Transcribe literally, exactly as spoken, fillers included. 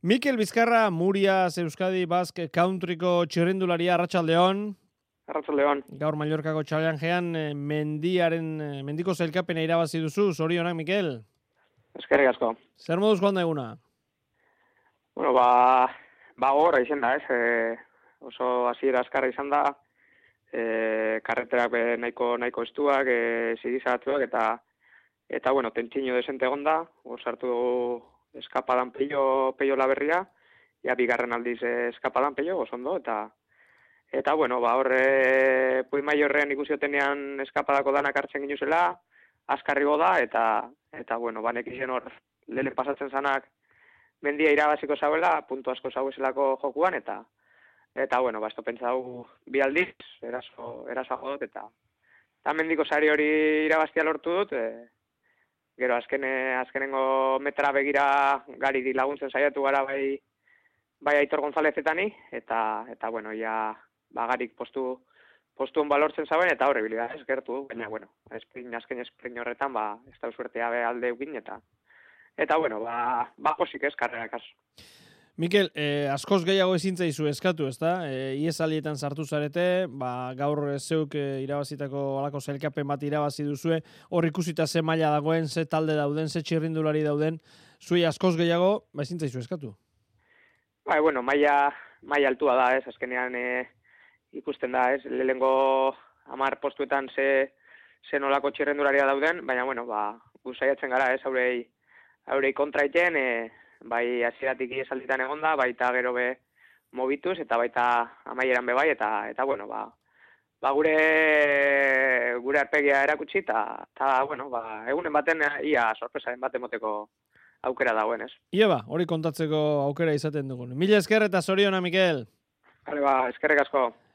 Mikel Bizkarra, Murias, Euskadi, Basque, Countryko txirrindularia, Arratsaldeon. Arratsaldeon. Gaur Mallorcako challengean mendiaren, mendiko sailkapena irabazi duzu, zorionak, Mikel. Eskerrik asko. Zer moduz joan da eguna? Bueno, ba, ba gogorra izan da, ez? E, oso hasiera azkarra izan da, e, karreterak be nahiko, nahiko estuak, e, zigizatuak, eta, eta bueno, tentsiño desente egon da, sartu dugu eskapadan peio, peio laberria, ja bigarren aldiz eskapadan peio, oso eta eta bueno, ba horre Pui Maiorrean ikusiotenean eskapadako danak hartzen ginuzela, azkarrigo da, eta eta bueno, banek izen hor lehen pasatzen zanak mendia irabaziko zauela, puntu asko zauezelako jokuan, eta eta bueno, ba esto pentsau bi aldiz, eraso, eraso jodot, eta eta mendiko sari hori irabaztia lortu dut, e, gero azkene, azkenengo metra begira gari di laguntzen saiatu gara bai bai Aitor Gonzalezetani, eta eta bueno, ja bagarik postu postuan balortzen zauen, eta horre bilida ez gertu, baina bueno, esprin, azken esprin horretan, ba, ez da usuertea be alde egin, eta eta bueno, ba, ba posik ez karrerak aso. Mikel, eh, askoz gehiago ezin zaizu eskatu, ezta? Eh, iesalietan sartu zarete, ba, gaur zeuk eh, irabazitako alako sailkapen bat irabazi duzue, hor ikusita ze maila dagoen, ze talde dauden, ze txirrindulari dauden, zuei askoz gehiago, ba ezin zaizu eskatu. Ba, bueno, maila, maila altua da, ez, azkenean eh, ikusten da, ez, lehengo hamar postuetan ze, ze nolako txirrendularia dauden, baina, bueno, ba, gu saiatzen gara, ez, aurei, aurei kontraiten, e, bai hasieratik iesalditan egonda, baita gero be mobituz, eta baita amaieran be bai, eta, eta bueno, ba, ba gure, gure arpegia erakutsi, eta, eta bueno, ba, egunen baten ia sorpresaren bat emoteko aukera dagoen, ez. Ia ba, hori kontatzeko aukera izaten dugun. Mila esker eta zoriona, Mikel. Hale ba, eskerrek asko.